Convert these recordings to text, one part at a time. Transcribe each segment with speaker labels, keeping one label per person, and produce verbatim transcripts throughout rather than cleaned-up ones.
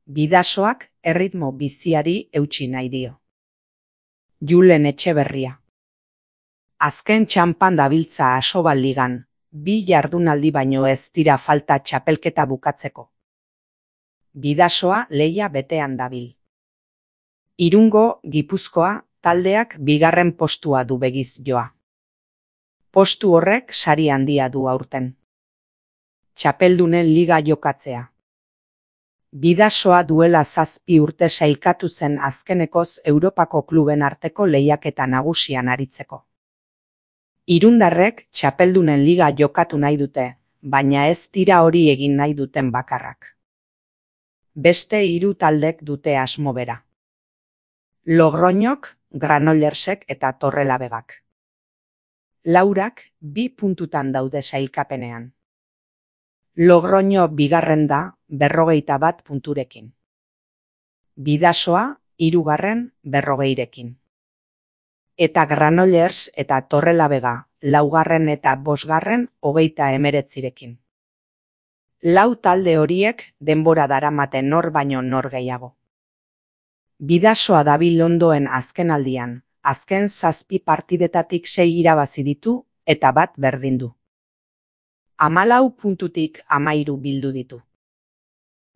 Speaker 1: Bidasoak erritmo biziari eutsi nahi dio. Julen Etxeberria. Azken txanpan dabiltza Asobal ligan, bi jardunaldi baino ez dira falta txapelketa bukatzeko. Bidasoa lehia betean dabil. Irungo, Gipuzkoa, taldeak bigarren postua du begiz joa. Postu horrek sari handia du aurten. Txapeldunen liga jokatzea. Bidasoa duela zazpi urte sailkatu zen azkenekoz Europako kluben arteko lehiaketa nagusian aritzeko. Irundarrek txapeldunen liga jokatu nahi dute, baina ez dira hori egin nahi duten bakarrak. Beste hiru taldek dute asmo bera. Logroñok, Granollersek eta Torrelavegak. Laurak bi puntutan daude sailkapenean. Logroño bigarren da berrogeita bat punturekin. Bidasoa hirugarren berrogeirekin. Eta Granollers eta Torrelavega laugarren eta bosgarren hogeita hemeretzirekin. Lau talde horiek denbora daramaten nor baino nor gehiago. Bidasoa dabil ondoen azkenaldian, azken zazpi partidetatik sei irabazi ditu eta bat berdin du. Hamalau puntutik hamairu bildu ditu.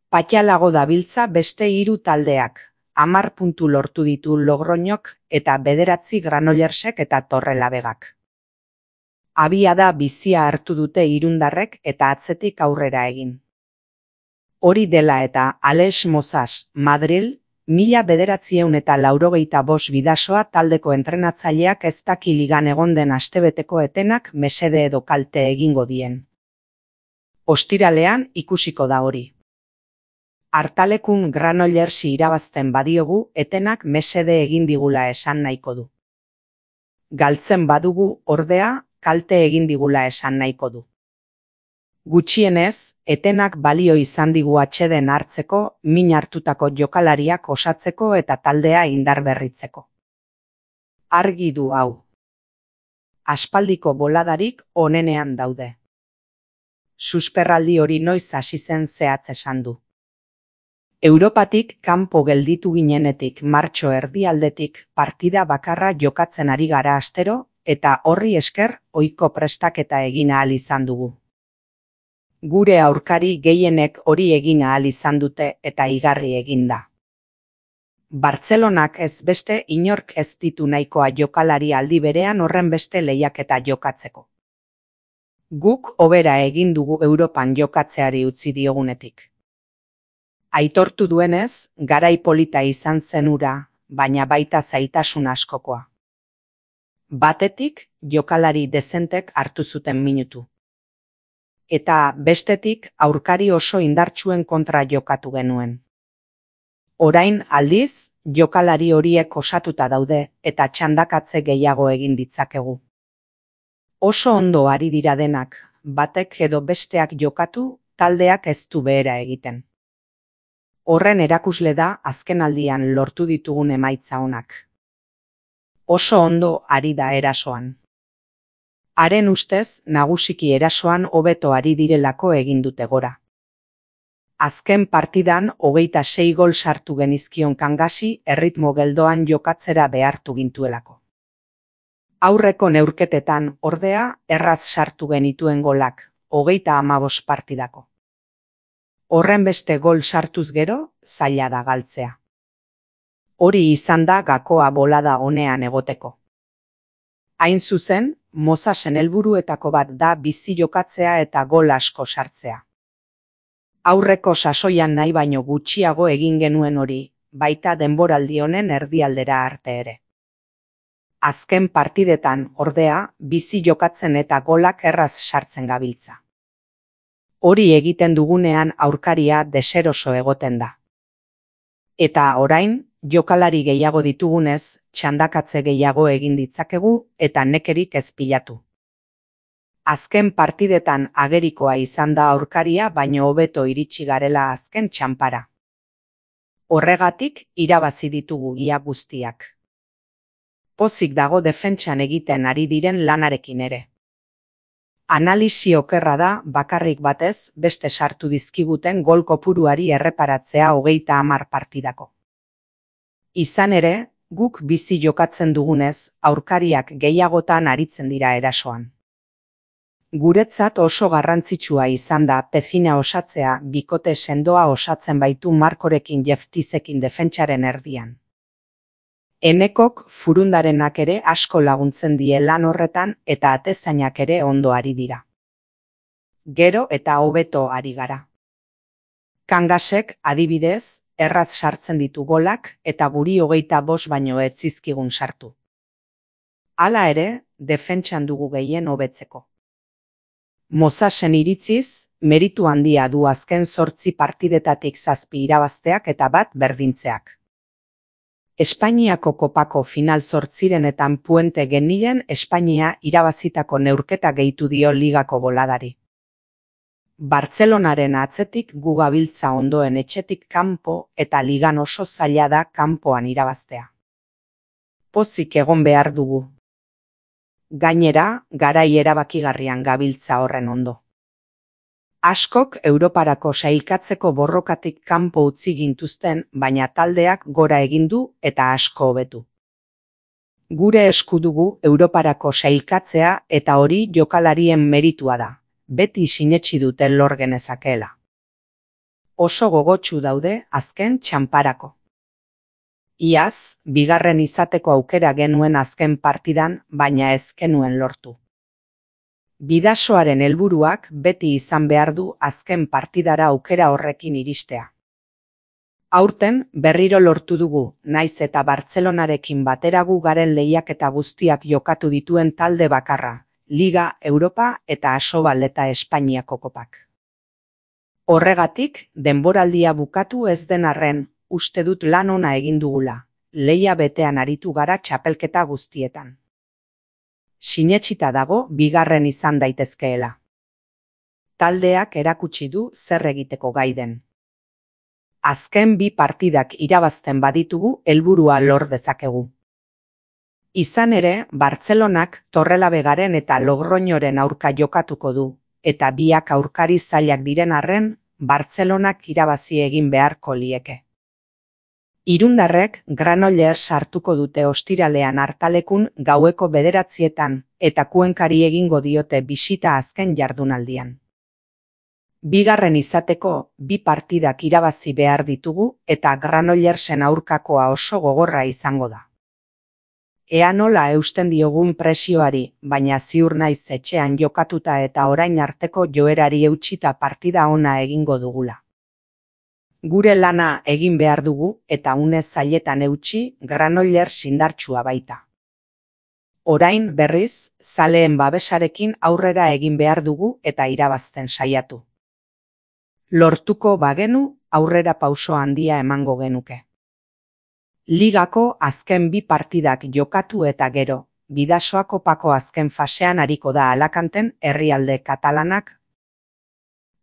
Speaker 1: Patxalago dabiltza beste hiru taldeak, hamar puntu lortu ditu Logroñok eta bederatzi Granollersek eta Torrelavegak. Abiada bizia hartu dute irundarrek eta atzetik aurrera egin. Hori dela eta Alex Mozas, Madril, mila bederatzieun eta laurogeita bost Bidasoa taldeko entrenatzaileak ez daki ligan egon den astebeteko etenak mesede edo kalte egingo dien. Ostiralean ikusiko da hori. Hartalekun Granollersi irabazten badiogu etenak mesede egin digula esan nahiko du. Galtzen badugu ordea kalte egin digula esan nahiko du. Gutxienez, etenak balio izan digu atxeden hartzeko, min hartutako jokalariak osatzeko eta taldea indarberritzeko. Argi du hau. Aspaldiko boladarik onenean daude. Susperraldi hori noiz hasi zen zehatz esan du. Europatik kanpo gelditu ginenetik martxo erdialdetik partida bakarra jokatzen ari gara astero eta horri esker ohiko prestaketa egin ahal izan dugu. Gure aurkari gehienek hori egin ahal izan dute eta igarri egin da. Bartzelonak ez beste inork ez ditu nahikoa jokalari aldi berean horren beste lehiaketa jokatzeko. Guk hobera egin dugu Europan jokatzeari utzi diogunetik. Aitortu duenez, garai polita izan zen hura, baina baita zailtasun askokoa. Batetik, jokalari dezentek hartu zuten minutu. Eta bestetik aurkari oso indartsuen kontra jokatu genuen. Orain aldiz, jokalari horiek osatuta daude eta txandakatze gehiago egin ditzakegu. Oso ondo ari dira denak, batek edo besteak jokatu, taldeak ez du behera egiten. Horren erakusle da azkenaldian lortu ditugun emaitza onak. Oso ondo ari da erasoan. Haren ustez, nagusiki erasoan hobeto ari direlako egin dute gora. Azken partidan hogeita sei gol sartu genizkion Kangasi erritmo geldoan jokatzera behartu gintuelako. Aurreko neurketetan ordea erraz sartu genituen golak, hogeita hamabost partidako. Horren beste gol sartuz gero, zaila da galtzea. Hori izan da gakoa bolada honean egoteko. Hain zuzen, Mozasen helburuetako bat da bizi jokatzea eta gol asko sartzea. Aurreko sasoian nahi baino gutxiago egin genuen hori, baita denboraldi honen erdialdera arte ere. Azken partidetan, ordea, bizi jokatzen eta golak erraz sartzen gabiltza. Hori egiten dugunean aurkaria deseroso egoten da. Eta orain, jokalari gehiago ditugunez, txandakatze gehiago egin ditzakegu eta nekerik ez pilatu. Azken partidetan agerikoa izan da aurkaria baino hobeto iritsi garela azken txanpara. Horregatik irabazi ditugu ia guztiak. Pozik dago defentsan egiten ari diren lanarekin ere. Analisi okerra da bakarrik batez beste sartu dizkiguten gol kopuruari erreparatzea hogeita hamar partidako. Izan ere, guk bizi jokatzen dugunez, aurkariak gehiagotan aritzen dira erasoan. Guretzat oso garrantzitsua izan da Pezina osatzea bikote sendoa osatzen baitu Markorekin Jeftizekin defentsaren erdian. Enekok Furundarenak ere asko laguntzen die lan horretan eta atezainak ere ondo ari dira. Gero eta hobeto ari gara. Kangasek, adibidez, erraz sartzen ditu golak eta guri hogeita bost baino ez zizkigun sartu. Hala ere, defentsan dugu gehien hobetzeko. Mosasen iritziz, meritu handia du azken zortzi partidetatik zazpi irabazteak eta bat berdintzeak. Espainiako kopako final zortzirenetan Puente Genilen Espainia irabazitako neurketa gehitu dio ligako boladari. Bartzelonaren atzetik gu gabiltza ondoen etxetik kanpo eta ligan oso zaila da kanpoan irabaztea. Pozik egon behar dugu. Gainera, garai erabakigarrian gabiltza horren ondo. Askok Europarako sailkatzeko borrokatik kanpo utzi gintuzten, baina taldeak gora egin du eta asko hobetu. Gure esku dugu Europarako sailkatzea eta hori jokalarien meritua da, beti sinetsi dute lor genezakeela. Oso gogotsu daude azken txanparako. Iaz, bigarren izateko aukera genuen azken partidan, baina ez genuen lortu. Bidasoaren helburuak beti izan behar du azken partidara aukera horrekin iristea. Aurten berriro lortu dugu, naiz eta Bartzelonarekin batera gu garen lehiaketa guztiak jokatu dituen talde bakarra, Liga, Europa eta Asobal eta Espainiako kopak. Horregatik, denboraldia bukatu ez den arren, uste dut lan ona egin dugula, lehia betean aritu gara txapelketa guztietan. Sinetsita dago bigarren izan daitezkeela. Taldeak erakutsi du zer egiteko gai den. Azken bi partidak irabazten baditugu helburua lor dezakegu. Izan ere, Bartzelonak Torrelavegaren eta Logroñoren aurka jokatuko du, eta biak aurkari zailak diren arren, Bartzelonak irabazi egin beharko lieke. Irundarrek Granollers sartuko dute ostiralean hartalekun gaueko bederatzietan eta Kuenkari egingo diote bisita azken jardunaldian. Bigarren izateko bi partidak irabazi behar ditugu eta Granollersen aurkakoa oso gogorra izango da. Ea nola eusten diogun presioari, baina ziur naiz etxean jokatuta eta orain arteko joerari eutsita partida ona egingo dugula. Gure lana egin behar dugu eta une zailetan eutsi Granollers indartsua baita. Orain berriz, zaleen babesarekin aurrera egin behar dugu eta irabazten saiatu. Lortuko bagenu, aurrera pauso handia emango genuke. Ligako azken bi partidak jokatu eta gero, Bidasoa kopako azken fasean ariko da Alakanten herrialde katalanak.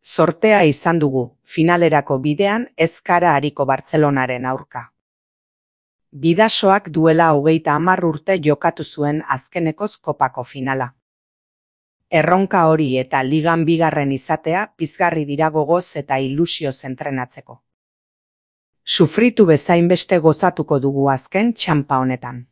Speaker 1: Sortea izan dugu, finalerako bidean ez gara ariko Bartzelonaren aurka. Bidasoak duela hogeita hamar urte jokatu zuen azkenekoz kopako finala. Erronka hori eta ligan bigarren izatea pizgarri dira gogoz eta ilusioz entrenatzeko. Sufritu bezain beste gozatuko dugu azken txanpa honetan.